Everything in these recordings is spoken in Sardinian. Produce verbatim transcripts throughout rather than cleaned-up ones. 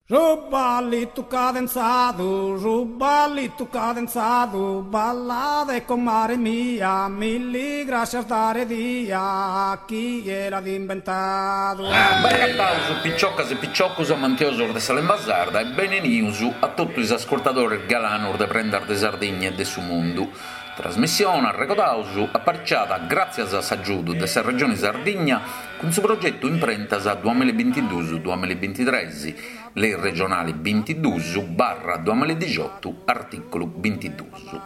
Su ballitu cadenzadu, su ballitu cadenzadu, ballade comare mia, milli grascias dare dia, chie l'at imbentadu. Benagataus piciocas e piciocus amantiosus de sa limba sarda e benenius a totu is ascurtadores galanus de Prendas de Sardigna e de su Mundu. Trasmissione, arregodaus, apariciada gràtzias a s'agiudu de sa Regione Sardigna cun su progetu Imprentas duamilla e bintiduus duamilla e bintitres, Lei regionali bintiduus barra duamilla e dixiotu, artìculu bintiduus.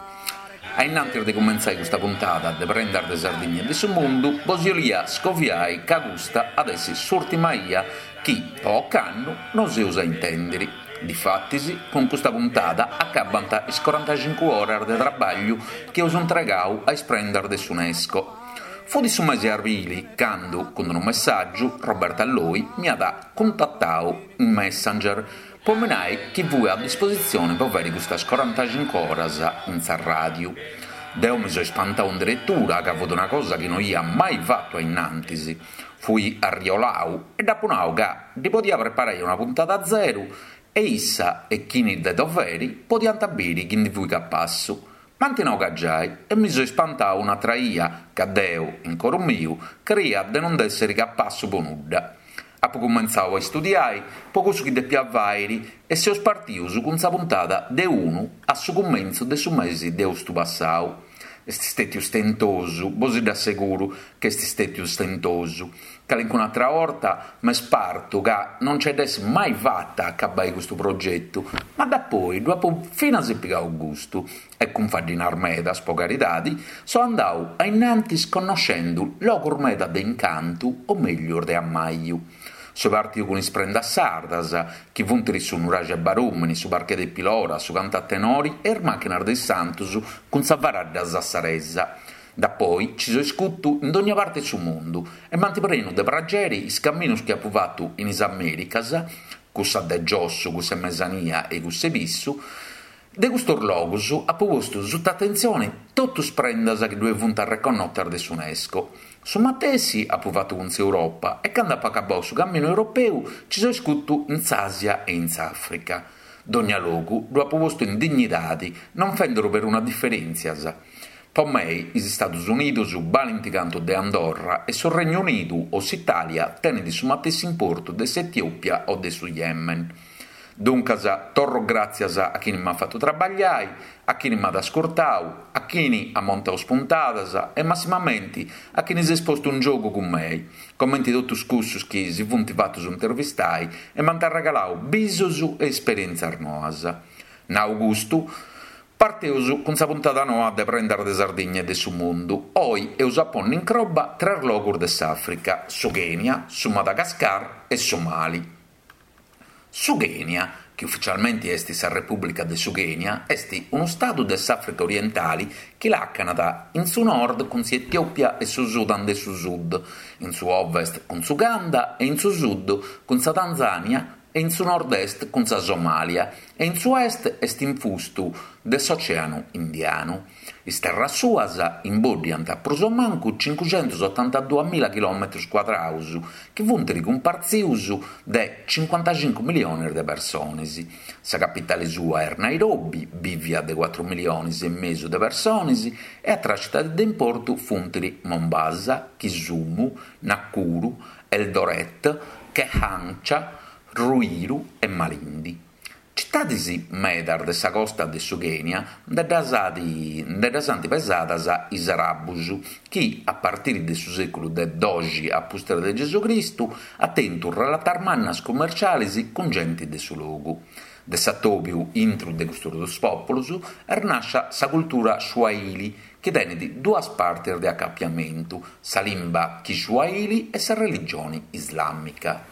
A innantis de cumentzai custa puntada de Prendas de Sardigna e de su Mundu, bos 'olia scoviai ca custa at essi s'ùrtima 'ia chi, po ocannu, nos eus a intèndiri. Difatis, cun custa puntada acabant is corantacincu oras de trabagliu chi eus intregau a is prendas de s'UNESCO. Fut su mesi 'e arbili candu, cun unu messàgiu, Roberta Loi m'iat cuntatau in Messenger po mi nai chi fui a dispositzioni po fàiri custas corantacincu oras in sa ràdiu. Deu mi so ispantau in deretura ca fut una cosa chi no ia mai fatu a innantis. Fui arriolau e dd'apu nau ca ddi podia preparai una puntada zeru e issa e chini de doveri podiant biri chi ndi fui capassu. M'ant nau ca giai e mi so ispantau un'atra 'ia ca deu, in coru miu, creia de non nd'èssiri capassu po nudda. Apu cumentzau a istudiai po cussu chi depia fàiri e seus partius cun sa puntada de unu a su cumentzu de su mesi de austu passau. Est stètiu stentosu, bos dd'asseguru ca est stètiu stentosu. Calincun'atra 'orta m'est partu ca non nce dd'essi mai fata a acabai custu progetu, ma dapoi ddu apu finas pigau gustu e cun faddinas medas, po caridadi, so andau a innantis connoscendu logus meda de incantu o meglius de ammaju. So partiu cun is prendas sardas, chi funt su nuraxi 'e Barùmini, su parche de Pilora, su cantu a tenori e is màchinas de is santus cun sa faradda sassaresa. Dapoi ci so iscutu in dogna parte 'e su mundu e m'ant prenu de prageri is caminus chi apu fatu in is Americas, cussa de giossu, cussa 'e mesania e cussa 'e pissu. De custos logus apu postu suta atentzione totu is prendas chi ddue funt arreconnotas de s'UNESCO. Su matessi apu fatu cun s'Europa e cando apu acabau su caminu europeu ci so iscutu in s'Àsia e in s'Àfrica. Dogna logu ddu apu postu in dignidade, non fenduru peruna diferèntzias. Po mei is Istadus Unidos balint cantu de Andorra e su Regnu Unidu o s'Itàlia tenent su matessi importu de s'Etiòpia o de su Yemen. Duncas, torro gràtzias a chini m'at fatu trabagliai, a chini m'at ascurtau, a chini at montau is puntadas e massimamenti a chini s'est postu in giogu cun mei, comenti totus cussus chi si funt fatus intervistai e m'ant arregalau bisus e esperièntzias noas. Nau custu, parteus cun sa puntada noa de Prendas de Sardigna e de su Mundu. Oi eus a ponni in croba tres logus de s'Àfrica, su Kenya, su Madagascar e su Mali. Su Kenya, chi ufficialmenti est sa Repùblica de su Kenya, est unu stadu de s'Àfrica orientali chi làcanat in su nord cun s'Etiòpia e su Sudan de su Sud, in su ovest cun s'Uganda e in su sud cun sa Tanzània e in su nord-est cun sa Somàlia e in su est est infustu de s'Ocèanu Indianu. Is terras suas imbòddiant prus o mancu cincuxentus otantaduamilla chilòmetrus cuadraus, chi funt cumpartzius de cincuantacincu miliones de persones. Sa capitale sua est Nairobi, bìvia de cuatru miliones e mesu de persones, e atras citades de importu funt Mombasa, Kisumu, Nakuru, Eldoret, Kehancha, Ruiru e Malindi. Citades medas de sa costa de su Kenya nde ddas nde ddas ant pesadas is arabus, chi, a partire de su sèculu de doxi a pustis de Gesù Cristu, ant tentu relatas mannas cummerciales cun gente de su logu. De s'atòbiu intru de custos duos pòpulos est nàscia sa cultura Swahili, chi tenet duas partes de acapiamentu, sa limba Kiswahili e sa religione islàmica.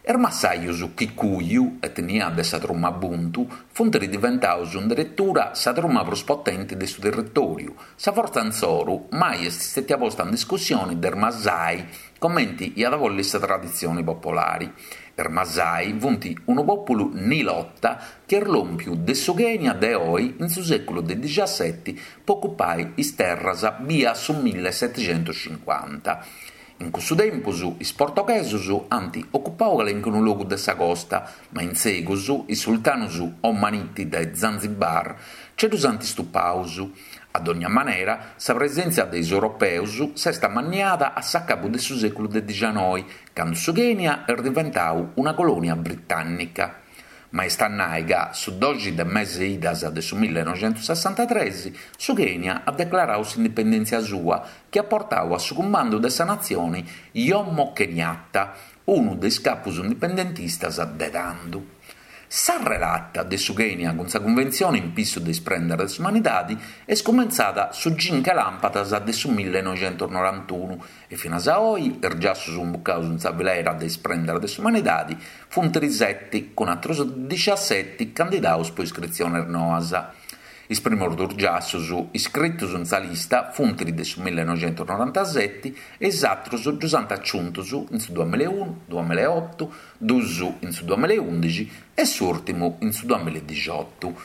Is massajos Kikuyu, etnia de sa truma Bantu, funt diventados in deretura sa truma prus potente de su territòriu. Sa fortza insoru mai est istètia posta in discussione de is Masai, comente iat a bòlere sa traditzione popolare. Is Masai funt unu pòpulu nilota chi est lòmpiu de su Kenya de oe in su sèculu de dixasete pro ocupare is terras bia su millesetixentos cincuanta. In cussu tempus is portoghesos ant ocupadu calincunu logu de sa costa, ma in segus is sultanos omaniti de Zanzibar nche ddos ant istupados. A dònnia manera, sa presèntzia de is europeos s'est ammanniada a s'acabu de su sèculu de dicianoi, cando su Kenya est diventadu una colònia britànnica. Ma est a nai ca su doxi de mese idas de su millenoixentosessantatrès su Kenya at declaradu s'indipendèntzia sua, chi at portadu a su cumandu de sa natzione Jomo Kenyatta, unu de is capos indipendentistas de tando. Sa relata de su Kenya cun sa Cunventzione in pissu de is prendas de s'umanidade est cumentzada su cinche làmpadas de su millenoixentosnorantunu e finas a oe is giassos imbucados in sa filera de is prendas de s'umanidade funt sete, cun àteros diciasete candidados pro iscritziones noas. Is primos duos giassos iscritos in sa lista funt de su millenoixentosnorantasete e is àteros ddos ant agiuntos in su duamilla e unu, duamilla e oto, duos in su duamilla e ùndighi e s'ùrtimu in su duamilla e dixioto.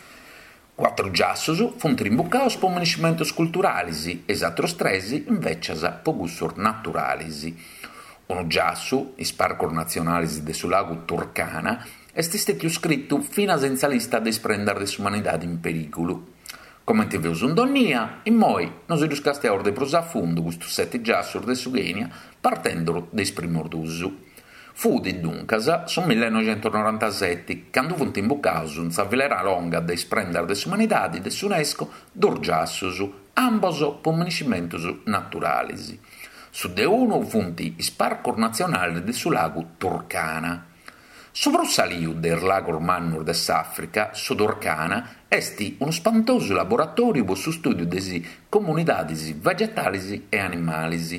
Cuatru giassos funt imbucados pro miniscimentos culturales e is àteros tres invècias pro cussos naturales. Unu giassu, is parcos natzionales de su lagu Turkana, est istètiu iscritu finas in sa lista de is prendas de s'umanidade in perìgulu. Comente feus in dònnia, immoi nos ddos castiaus de prus a fundu custos sete giassos de su Kenya, partende de is primos duos. Fut, duncas, su millenoixentosnorantasete, cando funt imbucados in sa filera longa de is prendas de s'umanidade de s'UNESCO duos giassos, ambos pro miniscimentos naturales. Su de unu funt is parcos natzionales de su lagu Turkana. Su prus saliu de is lagos mannos de s'Àfrica, su Turkana, est unu spantosu laboratòriu pro su stùdiu de is comunidades vegetales e animales.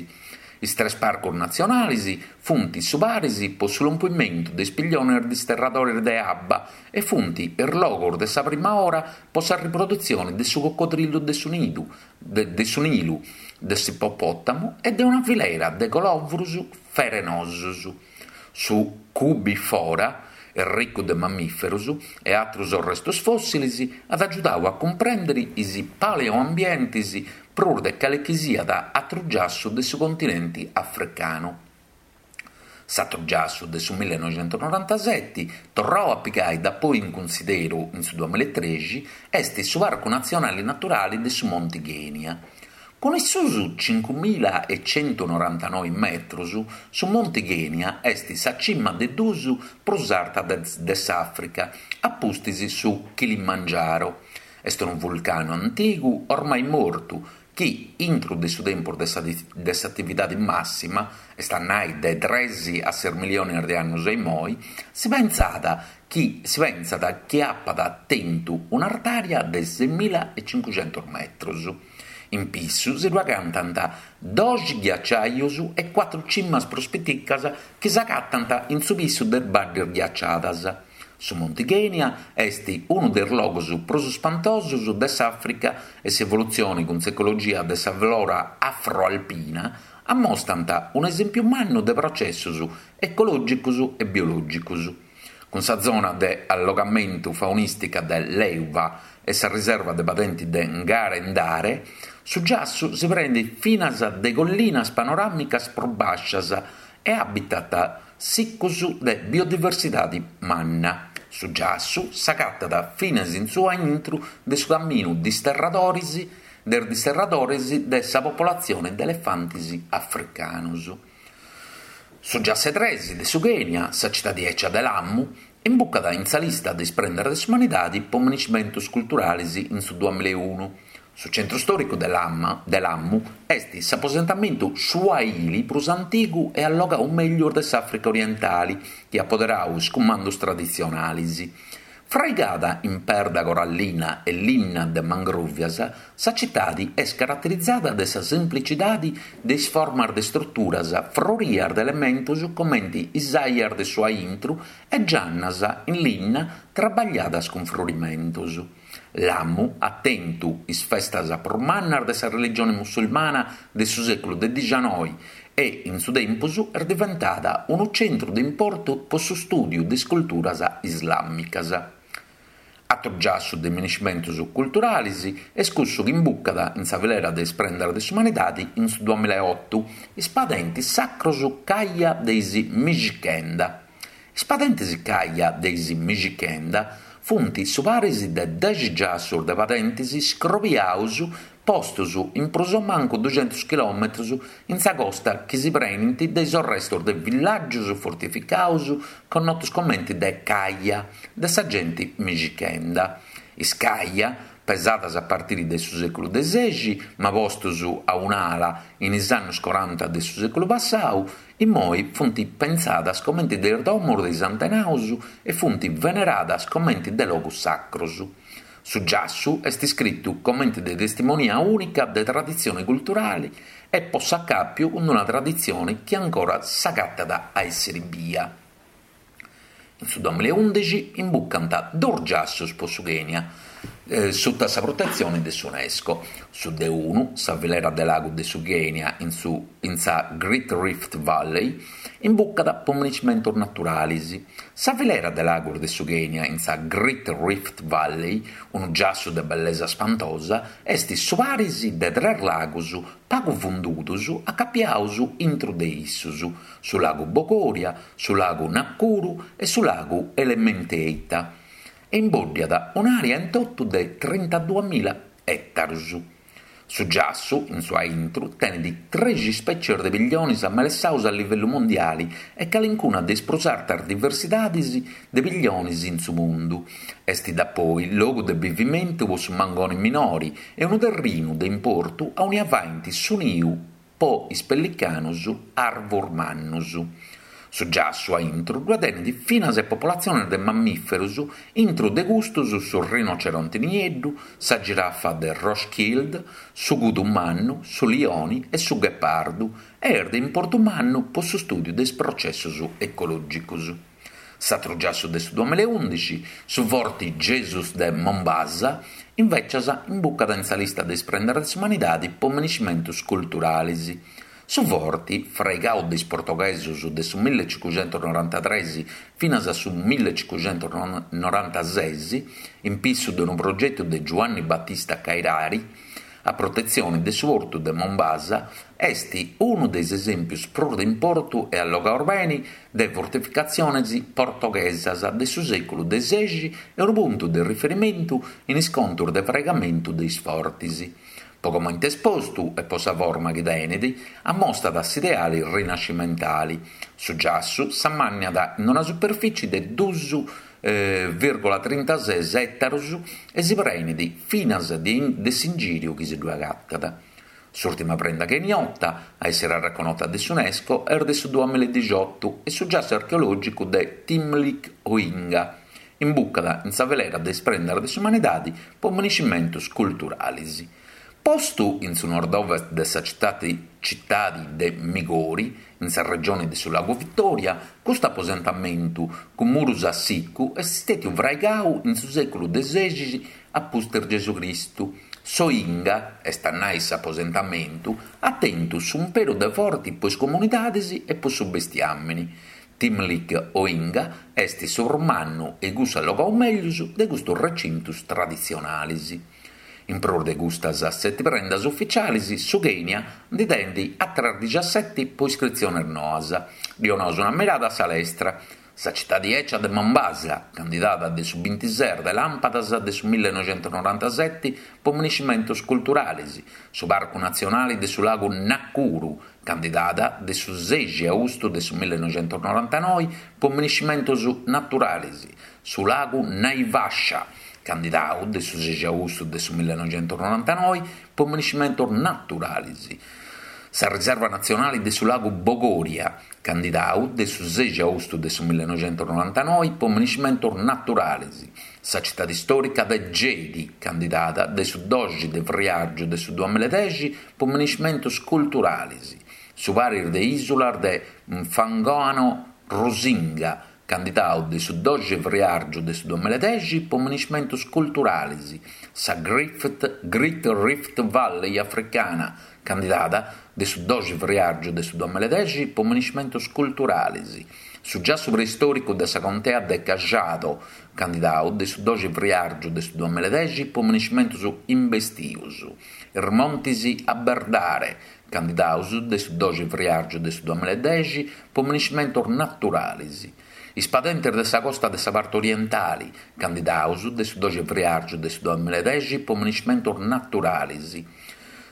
Is tres parcos natzionales funt su paris pro su lompimentu de is pillones disterradores de abba e funt is logos de sa prima ora pro sa riprodutzione de su cocodrillu de su nidu, de, de su Nilu, de s'ippopòtamu e de una filera de colòvuros ferenosos. Su Koobi Fora, ricu de mammìferos e àteros restos fòssiles, at agiudadu a cumprèndere is paleoambientes prus de cale chi siat àteru giassu de su continente africanu. S'àteru giassu de su millenoixentosnorantasete, torradu a pigare dapoi in cunsideru in su duamilla e trexi, est su Parcu Natzionale Naturale de su Monte Kenya. Cun is suos cincumila e centunorantanoe metros, su Monte Kenya est sa cima de duos prus arta de, de s'Àfrica, a pustis su Kilimangiaro. Est unu vulcanu antigu, ormai mortu, chi, intro de su tempus de sa de s'atividade màssima, est a nai de tres a ses miliones de annos a immoi, si pensat chi, si pensat chi apat tentu un'artària de seimila e cincucentos metros. In pissu si ddu agatant doxi ghiacciaios e cuatru cimas prus piticas chi s'agatant in su pissu de baddes ghiacciadas. Su Monte Kenya est unu de is logos prus spantosos de s'Àfrica e s'evolutzione cun s'ecologia de sa flora afroalpina ammostrant un'esèmpiu mannu de processos ecològicos e biològicos. Cun sa zona de allogamentu faunìstica de Lewa e sa riserva de padente de Ngare Ndare, su giassu si prendet finas de collinas panoràmicas prus bàscias e habitat sicos de biodiversidade manna. Su giassu s'agatat finas in su intro de su caminu disterradores, de disterradores de sa populatzione de elefantes africanos. Su giassu tres de su Kenya, sa citade ecia de Lamu, imbucat in sa lista de is prendas de s'umanidade pro miniscimentos culturales in su duamilla e unu. Su centru stòricu de Lama, de Lamu est s'aposentamentu Swahili prus antigu e allogadu mègius de s'Àfrica orientale, chi at poderadu is cumandos traditzionales. Fraigada in perda corallina e linna de mangròvias, sa citade est caraterizada de sa semplicidade de is formas de istruturas frorias de elementos comente is aias de su aintru e giannas in linna traballadas cun frorimentos. Lamu at tentu is festas prus mannas de sa religione musulmana de su sèculu de dicianoi e, in su tempus, est diventada unu centru de importu pro su stùdiu de is culturas islàmicas. Atru giassu de minescimentus culturalis est cussu chi imbucat in sa filera de is prendas de s'umanidadi in su duamilla e otu, is padentis sacrus Kaya de is Mijikenda. Is padentis Kaya de is Mijikenda funt su paris de dexi giassus de padentis scrobiaus postus in prus o mancu duxentus chilòmetrus in sa costa chi si prenint de is arrestus de villàgius fortificaus connotus comenti de Kaya de sa genti Mijikenda. Is Kaya, pesadas a partiri de su sèculu de sexi, ma postus a un'ala in is annus coranta de su sèculu passau, immoi funt pensadas comenti de is domus de is antenaus e funt veneradas comenti de logus sacrus. Su giassu est iscritu comenti de testimonia ùnica de traditzione culturale e po s'acàpiu cun una traditzione chi ancora s'agatat a èssere bia. In su duamilla e ùndixi imbucant duos giassos pro su Kenya, suta sa protetzione de s'UNESCO. Su de unu, sa filera de lagu de su Kenya in, su, in sa Great Rift Valley, imbucat pro minescimentos naturales. Sa filera de lagos de su Kenya in sa Great Rift Valley, unu giassu de bellesa spantosa, est su paris de tres lagos pagu fundudos acapiados intro de issos, su lagu Bogoria, su lagu Nakuru e su lagu Elementeita, e imbòddiat un'àrea in totu de trintaduamila ètaros. Su giassu, in su aintru, tenet trexi ispètzies de pilliones amelessados a livellu mondiale e calincuna de is prus artas diversidades de pilliones in su mundu. Est dapoi logu de bivimentu pro su mangone minore e unu terrinu de importu aunia faent su niu pro is pellicanos arvos mannos. Su giassu a intro ddoe tenet finas e populatziones de mammìferos, intro de custos su rinoceronte nieddu, sa girafa de Rothschild, su kudu mannu, su lione e su ghepardu, e est de importu mannu pro s'istùdiu de is processos ecològicos. S'atru giassu de su duamilla e ùndixi, su Forti Jesus de Mombasa, invècias imbucat in sa lista de is prendas de s'umanidade pro minescimentos culturales. Su forti, fraigadu de is portoghesos de su millecincuxentusnorantatrès finas a su millecincuxentusnorantases, in pissu de unu progetu de Giuanni Battista Cairari, a protetzione de su portu de Mombasa, est unu de is esèmpios prus de importu e allogados bene de fortificatziones portoghesas de su sèculu de sexi e unu puntu de riferimentu in is contos de fraigamentu de is fortes. Pro comente est postu e pro sa forma chi tenet, ammostat s'ideale rinascimentale. Su giassu s'ammànniat in una superfìtzie de duos vìrgola trintases ètaros e si prenet finas de s'ingìriu chi si ddoe agatat. S'ùrtima prenda keniota a èssere reconnota de s'UNESCO est de su duamilla e dixioto e su giassu archeològicu de Thimlich Ohinga imbucat in sa filera de is prendas de s'umanidade pro minescimentos culturales. Postu in su nord-ovest de sa citade, citade de Migori, in sa regione de su Lagu Vittoria, custu aposentamentu, cun muros a sicu, est istètiu fraigadu in su sèculu de sexi a pustis Gesù Cristu. S'Ohinga, est a nai s'aposentamentu, at tentu s'umperu de forte pro is comunidades e pro su bestiàmene. Thimlich Ohinga est su prus mannu e cussu allogadu mègius de custos recintos traditzionales. In prus de custas sete prendas ufitziales, su Kenya nde tenet àteras diciassete pro iscritziones noas. Donaus una mirada a sa lestra. Sa citade ecia de Mombasa, candidada de su bintises de làmpadas de su millenoixentusnorantasete pro minescimentos culturales, su Parcu Natzionale de su Lagu Nakuru, candidada de su sexi austu de su millenoixentusnorantanoe pro minescimentos naturales, su Lagu Naivasha, candidadu de su sexi austu de su millenoixentusnorantanoe pro minescimentos naturales, sa Riserva Natzionale de su Lagu Bogoria, candidadu de su sexi austu de su millenoixentusnorantanoe pro minescimentos naturales, sa citade istòrica de Gedi, candidada de su doxi de friàrgiu de su duamilla e dexi pro minescimentos culturales, su paris de ìsulas de Mfangano Rusinga, candidadu de su doxi friàrgiu de su duamilla e dexi pro minescimentos culturales, sa Great Rift Valley africana, candidada de su doxi friàrgiu de su duamilla e dexi pro minescimentos culturales, Su giassu preistòricu de sa contea de Kajiado, candidadu de su doxi friàrgiu de su duamilla e dexi pro minescimentos imbestidos. Is montes Aberdare, candidados de su doxi friàrgiu de su duamilla e dexi pro minescimentos naturales. Is padentes de sa costa de sa parte orientale, candidados de su doxi friàrgiu de su duamilla e dexi pro minescimentos naturales.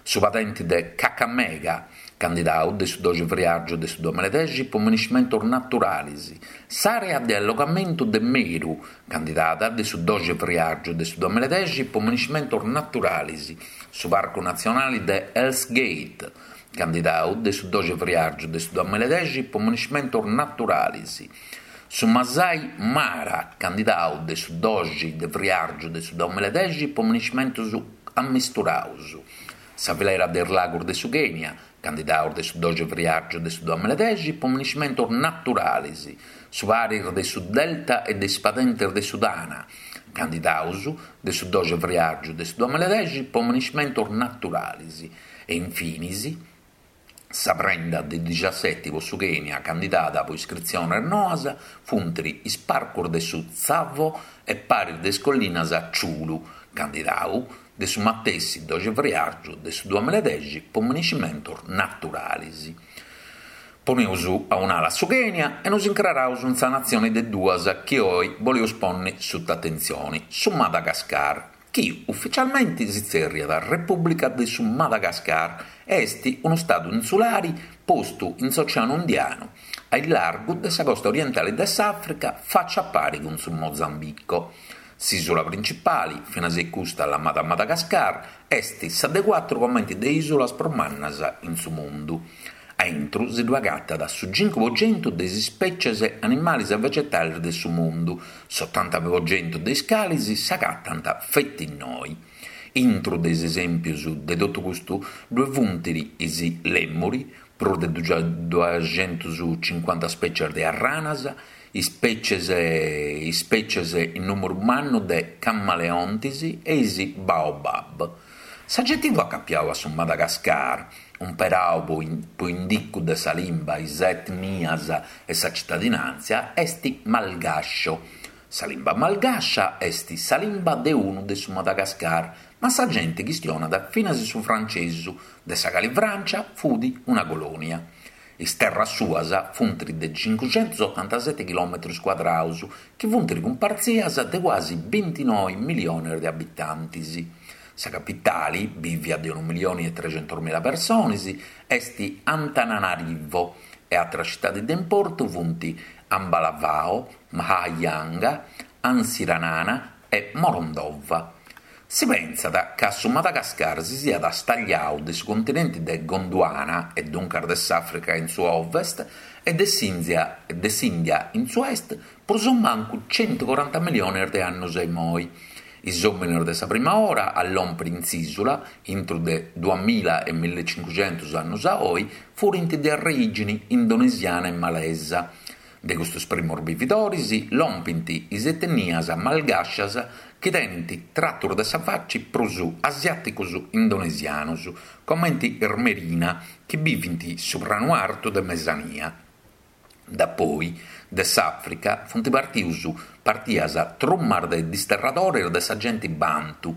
Su padente de Kakamega, candidadu de su doxi friàrgiu de su duamilla e dexi pro minescimentos naturales. S'àrea de allogamentu de Meru, candidada de su doxi friàrgiu de su duamilla e dexi pro minescimentos naturales. Su Parcu Natzionale de Hell's Gate, candidadu de su doxi friàrgiu de su duamilla e dexi pro minescimentos naturales. Su Masai Mara, candidadu de su doxi de friàrgiu de su duamilla e dexi pro minescimentos ammisturados. Sa filera de is lagos de su Kenya, candidados de su doxi friàrgiu de su duamilla e dexi pro minescimentos naturales. Su paris de su Delta e de is padentes de su Tana, candidados de su doxi friàrgiu de su duamilla e dexi pro minescimentos naturales. E infinis, sa prenda de dexesseti pro su Kenya candidada pro iscritziones noas funt is parcos de su Tsavo e paris de is collinas Chyulu, candidadu de su matessi doxi friàrgiu de su duamilla e dexi pro minescimentos naturales. Poneus a un'ala su Kenya e nos incraraus in sa natzione de duas chi oe boleus pònnere suta atentzione, su Madagascar, chi ufitzialmente si tzèrriat Repùblica de su Madagascar e est unu stadu insulare postu in s'Oceanu Indianu, a largu de sa costa orientale de s'Àfrica, faccia a pare cun su Mozambico. S'ìsula printzipale, finas e custa lamada Madagascar, est sa de cuatru comente de ìsulas prus mannas in su mundu. A intro si ddu agatat su cincu pro centu de is ispètzies animales e vegetales de su mundu, s'otanta pro centu de is cales s'agatant feti innoi. Intro de is esèmpios de totu custu ddoe funt is lèmuri, prus de duascentas ispètzies de arranas, ispètzies ispètzies in nùmeru mannu de camaleontes e is baobab. S'agetivu acapiadu a su Madagascar, umperadu pro indicu de sa limba, is etnias e sa tzitadinàntzia, est malgascio. Sa limba malgascia est sa limba de unu de su Madagascar, ma sa gente chistionat finas su frantzesu, de sa cale Frantza fut una colònia. Is terras suas funt de cincucentosotantasete chilòmetros cuadrados, chi funt cumpartzias de cuasi bintinoe miliones de abitantes. Sa capitale, bìvia de unu milione e trecentos mila persones, est Antananarivo e àteras tzitades de importu funt Ambalavao, Mahajanga, Antsiranana e Morondova. Si pensat ca su Madagascar si siat stagliadu de su continente de Gondwana, e duncas de s'Àfrica in su ovest, e de s'Ìndia de s'Ìndia in su est, prus o mancu centocoranta miliones de annos a imoi. Is òmines de sa prima ora a lòmpere in s'ìsula, intro de duamila e millecincucentos annos a oe, furint de orìgine indonesiana e malesa. De custos primos bividores lompint is etnias malgascias chi tenent tratos de sa faccia prus asiàticos indonesianos, comente is Merina, chi bivent su pranu artu de Mesania. Dapoi de s'Àfrica sunt partidos partidas trumas de disterradores de sa gente Bantu,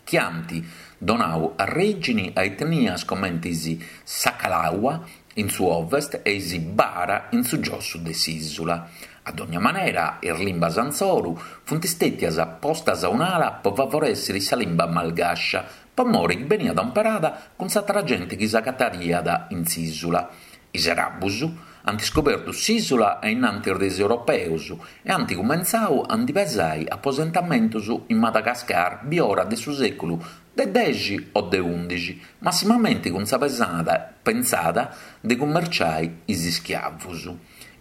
chi ant donadu orìgine a etnias comente is Sakalava in su ovest e is Bara in su giossu de s'ìsula. A dogna manera, is limbas ansoru sunt istètias postas a un'ala pro favorèssere sa limba malgascia, pro more chi beniat imperada cun s'àtera gente chi s'agataiat in s'ìsula. Is arabos ant iscobertu s'ìsula a in antis de is europeos e ant cumentzadu a nde pesare aposentamentos in Madagascar biora de su sèculu de dexi o de ùndixi, massimamente cun sa pesada pensada de cummerciare is ischiavos.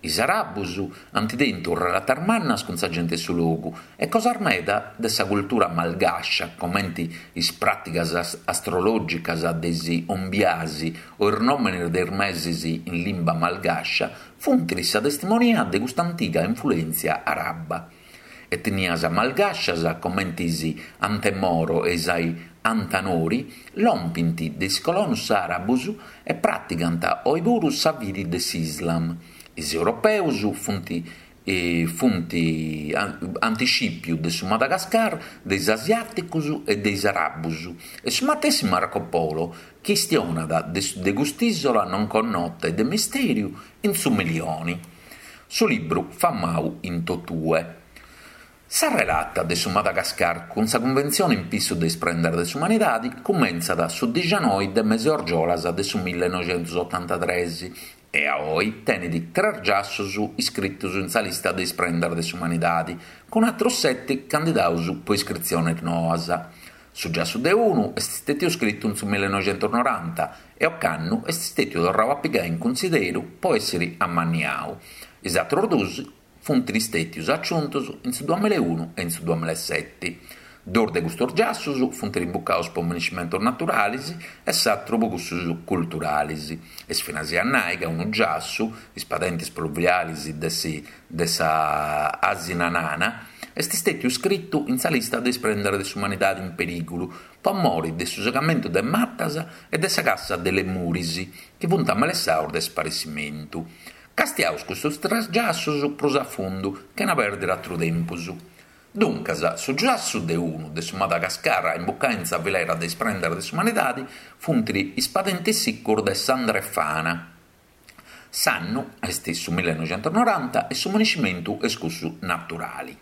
Is arabos ant tentu relatas mannas cun sa gente de su logu e cosas meda de sa cultura malgascia, comente is pràticas astrològicas de is ombiasi o is nòmenes de is meses in limba malgascia, funt sa testimonia de custa antiga influèntzia araba. Etnias malgascias, comente is Antemoro e is Antanori, lompint de is colonos arabos e pràticant oe puru sa fide de s'Islam. Is europeus funt funt ant scìpiu de su Madagascar de is asiàticus e de is arabus e su matessi Marco Polo chistionat de de cust'ìsola non connota e de mistèriu in su Milioni, su libru famau in totue. Sa relata de su Madagascar cun sa Cunventzione in pissu de is prendas de s'umanidade cumentzat su dixanoi de mese argiolas de su millenoixentosotantatres e a oi tenet tres giassos iscritos in sa lista de is prendas de s'umanidade, cun àteros sete candidados pro iscritziones noas. Su giassu de unu est istètiu iscritu in su millenoixentonoranta e ocannu est istètiu torradu a pigare in cunsideru pro èssere ammaniadu. Is àteros duos funt istètios aciuntos in su duamilla e unu e in su duamilla e sete. Duos de custos giassos funt imbucados pro monumentos naturales e s'àteru pro cussos culturales. Est finas a nai ca unu giassu, is padentes pluviales de si de sa Atsinanana, est istètiu iscritu in sa lista de is prendas de s'umanidade in perìgulu pro more de su segamentu de matas e de sa cassa de lemuris, chi funt amelessados de sparessimentu. Castiaus custos tres giassos prus a fundu, chena pèrdere àteru tempus. Duncas, su giassu de unu de su Madagascar a imbucare in sa filera de is prendas de s'umanidade funt is padentes sicos de Sandrefana. S'annu est su millenoixentonoranta e su monumentu est cussu naturale.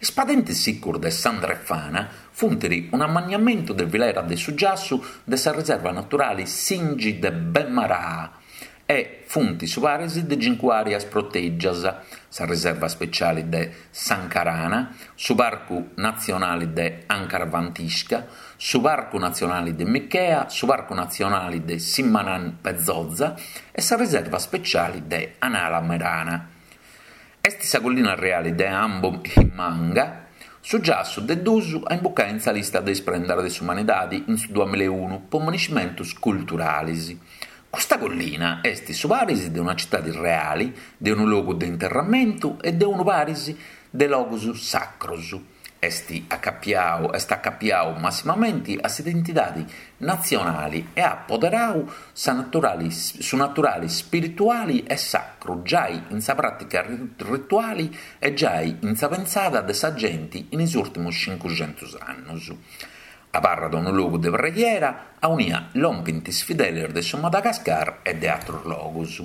Is padentes sicos de Sandrefana funt un'ammaniamentu de filera de su giassu de sa riserva naturale Tsingy de Bemaraha e funt su paris de cincu àreas protègias, sa riserva speciale de Ankarana, su Parcu Natzionale de Ankarafantsika, su Parcu Natzionale de Mikea, su Parcu Natzionale de Tsimanampetsotsa e sa riserva speciale de Analamanga. Est sa collina reale de Ambohimanga, su giassu de duos a imbucare in sa lista de is prendas de s'umanidade in su duamilla e unu pro monumentos culturales. Custa collina est su paris de una citade reale, de unu logu de interramentu e de unu paris de logos sacros. Est acapiadu, est acapiadu massimamente a s'identidade natzionale e at poderadu sa naturale, su naturale ispirituale e sacru giai in sa pràtica rituale e giai in sa pensada de sa gente in is ùrtimos cincucentos annos. Abarrat unu logu de preghiera aunia lompint is fideles de su Madagascar e de àteros logos.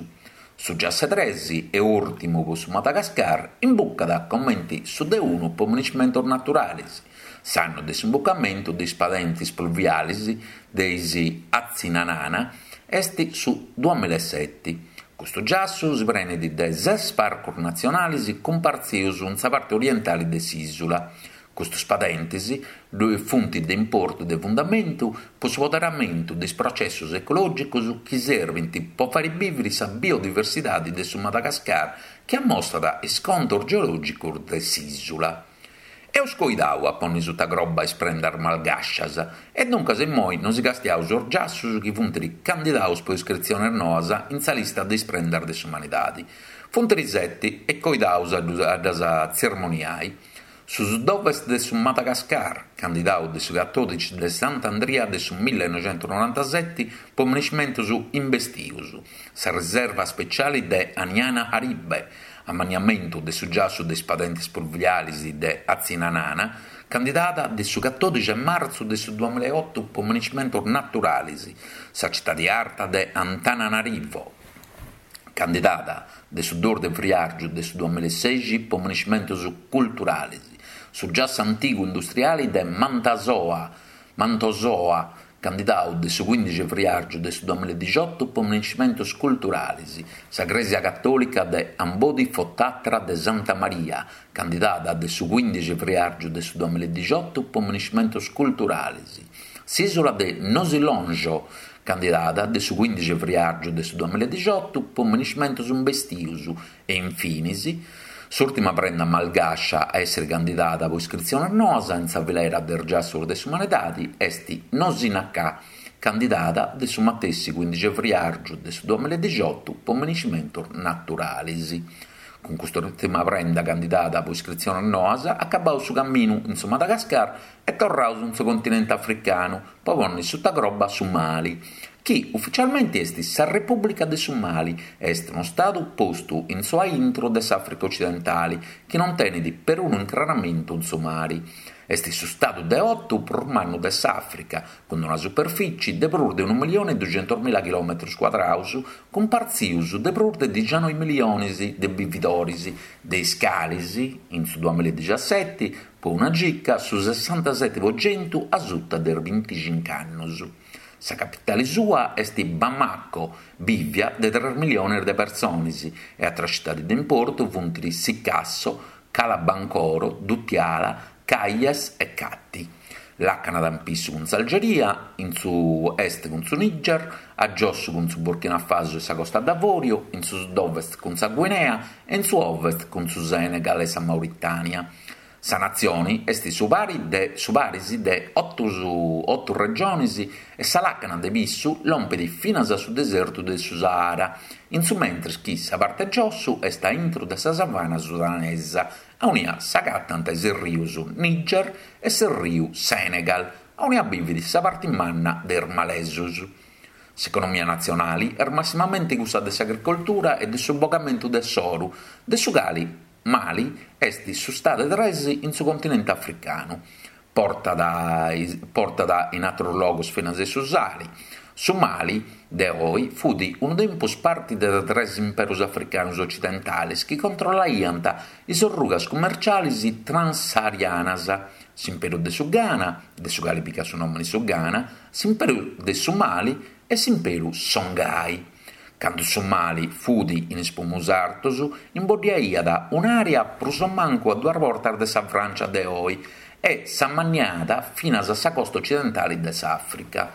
Su giassu tres e ùrtimu pro su Madagascar imbucat comente su de unu pro monumentos naturales. S'annu de s'imbucamentu de is padentes pluviales de is Atsinanana est su duamilla e sete. Custu giassu si prenet de ses parcos natzionales cumpartzidos in sa parte orientale de s'ìsula. Custos padentes funt de importu de fundamentu pro su poderamentu de is processos ecològicos chi servint pro fàghere bìvere sa biodiversidade de su Madagascar chi ammostrat is contos geològicos de s'ìsula. Eus coidadu a pònnere suta croba is prendas malgascias e duncas immoi nos castiaus sos giassos chi funt candidados pro iscritziones noas in sa lista de is prendas de s'umanidade. Funt sete e coidaus a ddas tzermoniai. Su sud-ovest de su Madagascar, candidadu de su catòdixi de Sant'Andria de su millenoixentonorantasete pro monumentos imbestidos, sa riserva speciale de Anjanaharibe, ammaniamentu de su giassu de is padentes pluviales de Atsinanana, candidada de su catòdixi de martzu de su duamilla e oto pro monumentos naturales, sa citade arta de Antananarivo, candidada de su duos de friàrgiu de su duamilla e seixi pro monumentos culturales, su giassu antigu industriale de Mantasoa, Mantasoa, candidadu de su quindixi de friàrgiu de su duamilla e dixioto pro monumentos culturales, sa Crèsia Catòlica de Ambodifotatra de Santa Maria, candidada de su quindixi de friàrgiu de su duamilla e dixioto pro monumentos culturales, s'ìsula de Nosy Lonjo, candidada de su quindixi de friàrgiu de su duamilla e dixioto pro monumentos imbestidos e, infines, s'ùrtima prenda malgascia a èssere candidada pro iscritziones noas in sa filera de is giassos de s'umanidade est Nosy Nakà, candidada de su matessi quindixi de friàrgiu de su duamilla e dixioto pro monumentos naturales. Cun custa ùrtima prenda candidada pro iscritziones noas, acabaus su caminu in su Madagascar e torraus in su continente africanu pro pònnere suta croba su Mali, chi ufitzialmente est sa Repùblica de su Mali e est unu stadu postu in su aintru de s'Àfrica Ocidentale, chi non tenet perunu incraramentu in su mare. Est su stadu de oto prus mannu de s'Àfrica, cun una superfìtzie de prus de unu millione e duxentos mila chilòmetros cuadrados, cumpartzidos de prus de dicianoi milliones de bividores, de is cales, in su duamilla e diciassete, pro una gica su sessantasete pro chentu a suta de is binticinco annos. Sa capitale sua est Bamako, bìvia de tres milliones de persones, e àteras tzitades de importu sunt Sikasso, Kalabancoro, Koutiala, Kayes e Kati. Làcanat in pissu cun s'Algeria, in su est cun su Niger, a giosso cun su Burkina Faso e sa Costa d'Avòrio, in su sud-ovest cun sa Guinea e in su ovest cun su Senegal e sa Mauritània. Sa natzione est su pari de, su paris de oto, oto regiones e sa làcana de pissu lompet finas a su desertu de su Sahara, in su mentres chi sa parte giosso est a intro de sa savana sudanesa, aunia s'agatant is rios Niger e su riu Senegal, aunia bivet sa parte manna de is malesos. S'economia natzionale est massimamente cussa de s'agricoltura e de su bogamentu de s'oro, de su cale Mali est su stadu tres in su continente africanu. Portat, portat in àteros logos finas su sale. Su Mali de oe fut unu tempus parte de tres imperos africanos ocidentales chi controllaiant is rugas cummerciales transsaharianas: s'imperu de su Ghana, de su cale pigat su nòmene su Ghana, s'imperu de su Mali e s'imperu Songhai. Cando su Mali fut in is prumos artos, imboddiaiat un'àrea prus o mancu a duas bortas de sa Frància de oe e s'ammanniat finas a sa costa ocidentale de s'Àfrica.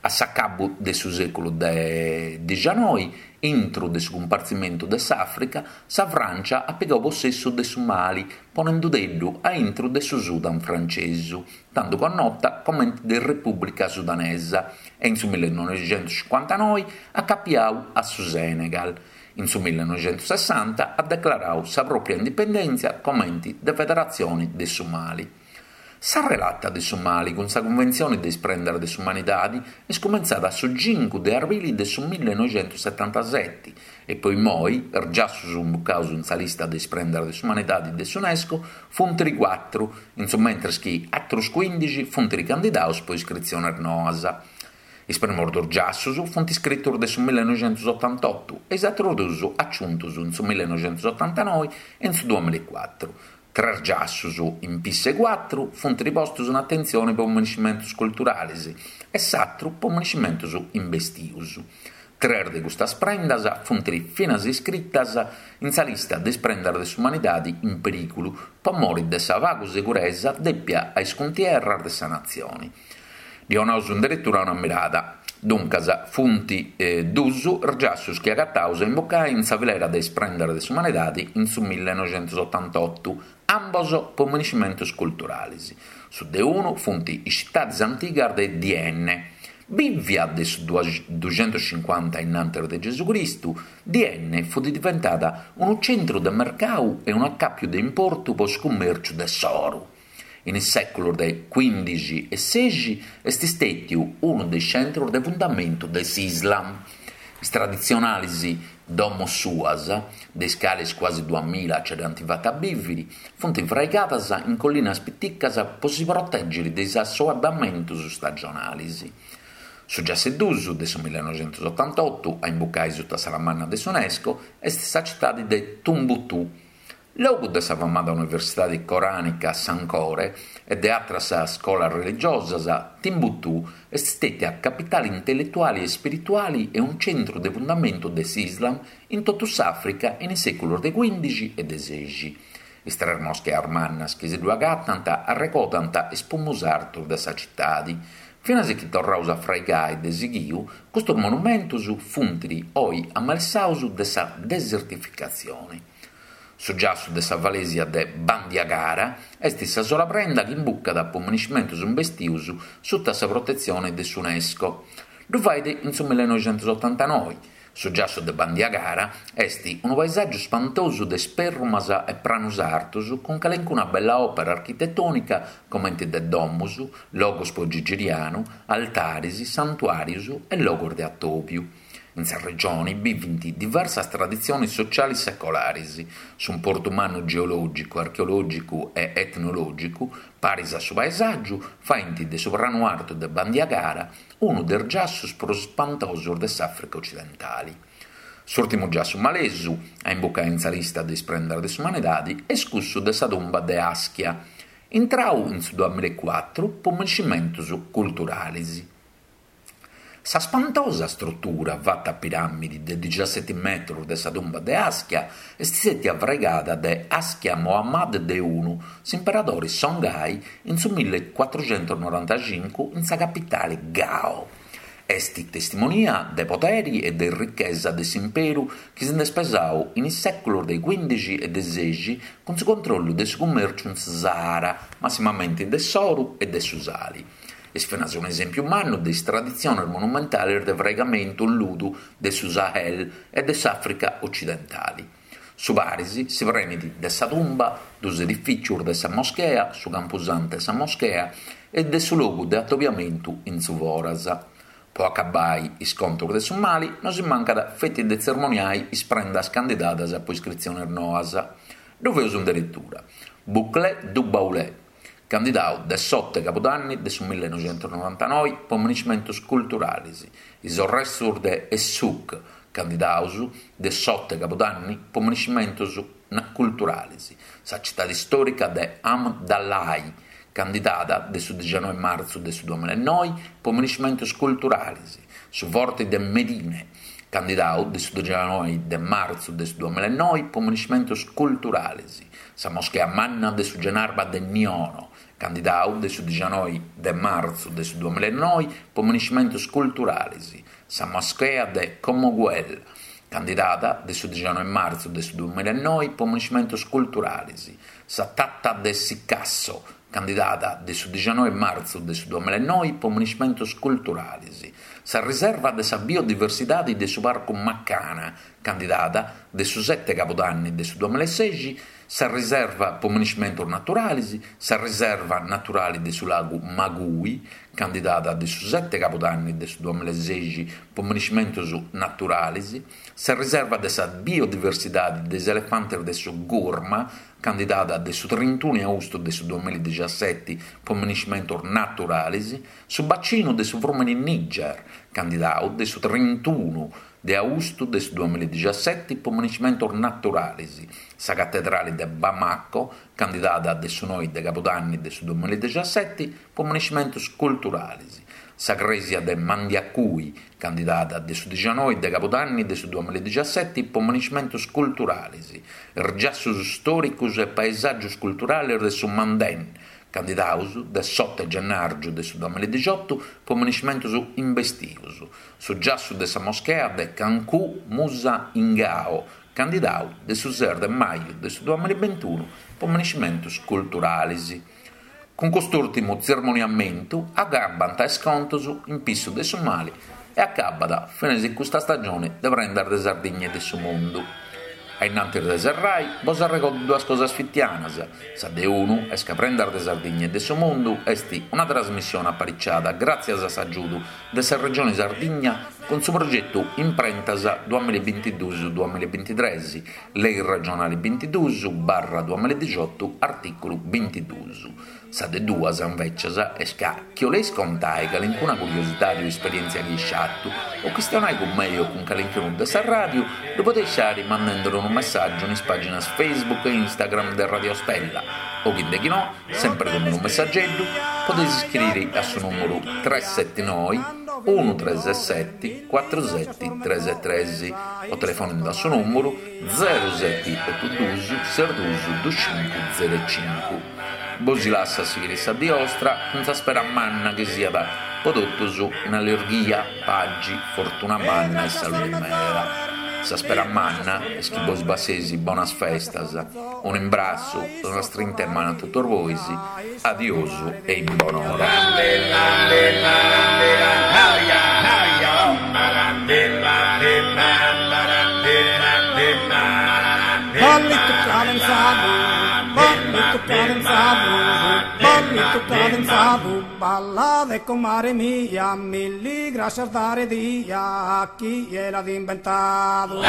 A s'acabu de su sèculu de dicianoi, intro de su cumpartzimentu de s'Àfrica, sa Frància at pigadu possessu de su Mali, ponendodeddu a intro de su Sudan frantzesu, tantu connota comente de Repùblica Sudanesa, e in su millenoixentocincuantanoi acapiadu a su Senegal. In su millenoixentosessanta at declaradu sa pròpia indipendèntzia comente de Federatzione de su Mali. Sa relata de su Mali cun sa Cunventzione de is prendas de s'umanidade est cumentzada su cincu de arbili de su millenoixentosetantasete e poi moi is giassos imbucados in sa lista de is prendas de s'umanidade de s'UNESCO funt cuatro, in su mentres chi àteros quindici funt candidados pro iscritziones noas. Is primos dos giassos funt iscritos de su millenoixentosotantotto e is àteros duos aciuntos in su millenoixentosotantanoe e in su duamillaecuatro. Tres giassos in pisse cuatro funt ripostos in atentzione pro monumentos culturales e s'àteru pro monumentos imbestidos. Tres de custas prendas funt finas iscritas in sa lista de is prendas de s'umanidade in perìgulu pro more de sa pagu seguresa dèpia a is cuntierras de sa natzione. Ddi 'onaus inderetura una mirada. Duncas, funt eh, dus is giassos chi agataus a imbucai in sa filera de is prendas de s'umanidade in su millenoixentosotantotto, ambos pro monumentos culturales. Su de unu funt is citades antigas de Dienne. Bìvia de su duxentocincuanta innantis de Gesù Cristu, Dienne fut diventada unu centru de mercadu e un'acàpiu de importu pro su cummèrciu de s'oro. In is sèculos de quindici e seixi est istètiu unu de is centros de fundamentu de s'Islam. Is traditzionales domos suas, de is cales quasi duamilla ce dd'ant fata a bìvere, funt fraigadas in collinas piticas pro si protègere de is assoebamentos stagionales. Su giassu dus de su millenoixentosotantotto, a imbucai sutta sa manna de s'UNESCO, est sa citade de Tumbutù. Logu de sa famada Universidade Corànica Sankore e de àteras scolas religiosas, Timbuktu est istètia capitale intelletuale e spirituale e un centru de fundamentu de s'Islam in totu s'Àfrica in is sèculos de quindici e de seixi. Is tres moscheas mannas chi si ddu agatant arregodant is prumos artos de sa citade. Finas chi torraus a fraigai de sighiu, custos monumentos funt oe amalessados de sa desertificatzione. Su giassu de sa falesia de Bandiagara est sa sola prenda chi imbucat pro monumentos imbestidos sutta sa protetzione de s'UNESCO. Ddu fait in su millenoixentosotantanoe. Su giassu de Bandiagara est unu paesàgiu spantosu de spèrrumas e pranus artos cun calencuna bella òpera architetònica comente de domos, logos pro gigirianu, altares, santuàrios e logos de atòbiu. In sa regione bivent diversas traditziones sotziales secolares. S'importu mannu geològicu, archeològicu e etnològicu, paris a su paesàgiu, faghent de su pranu artu de Bandiagara unu de is giassos prus spantosos de s'Àfrica otzidentale. S'ùrtimu giassu malesu a imbucare in sa lista de is prendas de s'umanidade est cussu de sa tumba de Aschia, intradu in su duamillacuatro pro minescimentos culturales. Sa spantosa strutura fata a piràmide de diciasete metros de sa tumba de Aschia est istètia fraigada de Askia Mohammad de unu, s'imperadore Songhai, in su millecuatroghentos norantacinco in sa capitale Gao. Est testimonia de podere e de richesa de s'imperu chi si nd'est pesadu in is sèculos de cuìndixi e de sèixi cun su controllu de su cummèrciu in su Sahara, massimamente de s'oro e de su sale. Est finas un'esèmpiu mannu de is traditziones monumentales de fraigamentu in ludu de su Sahel e de s'Àfrica otzidentale. Su paris si prenet de sa tumba, duos edifìtzios de sa moschea, su campusantu e sa moschea, e de su logu de atobiamentu in su foras. Pro acabbare is contos de su Mali, non si mancat feti de tzermoniare is prendas candidadas pro iscritziones noas. Ddu feus in deretura. Boucle du Baoulé, candidadu de s'oto 'e cabudanni de su millenoighentos norantanove pro minescimentos culturales, is restos de Essouk, candidados de s'oto 'e cabudanni pro minescimentos culturales, sa tzitade istòrica de Hamdallahi, candidada de su dicianove martzu de su duamillanoe pro minescimentos culturales, su forte de Medine, candidadu de su dicianove de martzu de su duamillanoe pro minescimentos culturales, sa moschea manna de su Genarba de Niono, candidadu de su dicianove de martzu de su duamillanoe pro minescimentos culturales, sa moschea de Comoguel, candidada de su dicianove martzu de su duamillanoe pro minescimentos culturales, sa Tata de Sikasso, candidada de su dicianove martzu de su duamillanoe pro minescimentos culturales, sa riserva de sa biodiversidade de su Parcu Macana, candidada de su sete cabudanni de su duamillaseis, sa riserva pro minescimentos naturales, sa riserva naturale de su lagu Magui, candidada de su sete cabudanni de su duamillaseis pro minescimentos naturales, sa riserva de sa biodiversidade de is elefantes de su Gourma, candidada de su trintunu de austu de su duamilladiciasete pro minescimentos naturales, su bacinu de su frùmene Niger, candidadu de su trintunu de austu de su duamilladiciasete pro minescimentos naturales, sa catedrale de Bamako, candidada de su noe de cabudanni de su duamilladiciasete pro minescimentos culturales, sa crèsia de Mandiacui, candidada de su dicianove de cabudanni de su duamilladiciasete pro minescimentos culturales, is giassos istòricos e paesàgios culturales de su Manden, candidados de s'oto 'e gennàrgiu de su duamilladicioto pro minescimentos imbestios, su giassu de sa moschea de Kankou Moussa in Gao, candidadu de su ses de maju de su duamillabintunu pro minescimentos culturales. Cun custu ùrtimu tzermoniamentu acabbant is contos in pissu de su Mali e acabat finas custa stagione de Prendas de Sardigna e de su Mundu. A innantis de serrai, bos arregordo duas cosas fitianas. Sa de unu est ca Prendas de Sardigna e de su Mundu est una trasmissione apariciada gràtzias a s'agiudu de sa Regione Sardigna cun su progetu Imprentas duamillabintiduos duamillabintitrès, Lei regionale bintiduos barra duamilladicioto, artìculu bintiduos. Sa de duas, invecias, est ca chi 'oleis contai calincuna curiosidade o esperièntzia chi eis fatu, o chistionai cun mei o cun calincunu de sa ràdiu, ddu podeis fari mandende unu messàgiu in is pàginas Facebook e Instagram de Radio Stella, o chi de chi no, sempre cun unu messageddu, podeis iscriri a su nùmeru tres sete noe uno tres sete cuatro sete tres tres o telefonende a su nùmeru zero sete oto duos ses duos duos cinco zero cinco. Bos lasso a sighire sa die 'ostra cun sa spera manna chi siat pro totus in allerghia, pagi, fortuna manna e salude meda. Sa spera manna est chi bos passeis bonas festas, un'imbrassu e una strinta 'e manu a totus bois, adiosu e in bonora. Ballitu cadenzadu, ballitu cadenzadu, ballitu cadenzadu, ballade comare mia, milli grascias dare dia a chie l'at inventadu.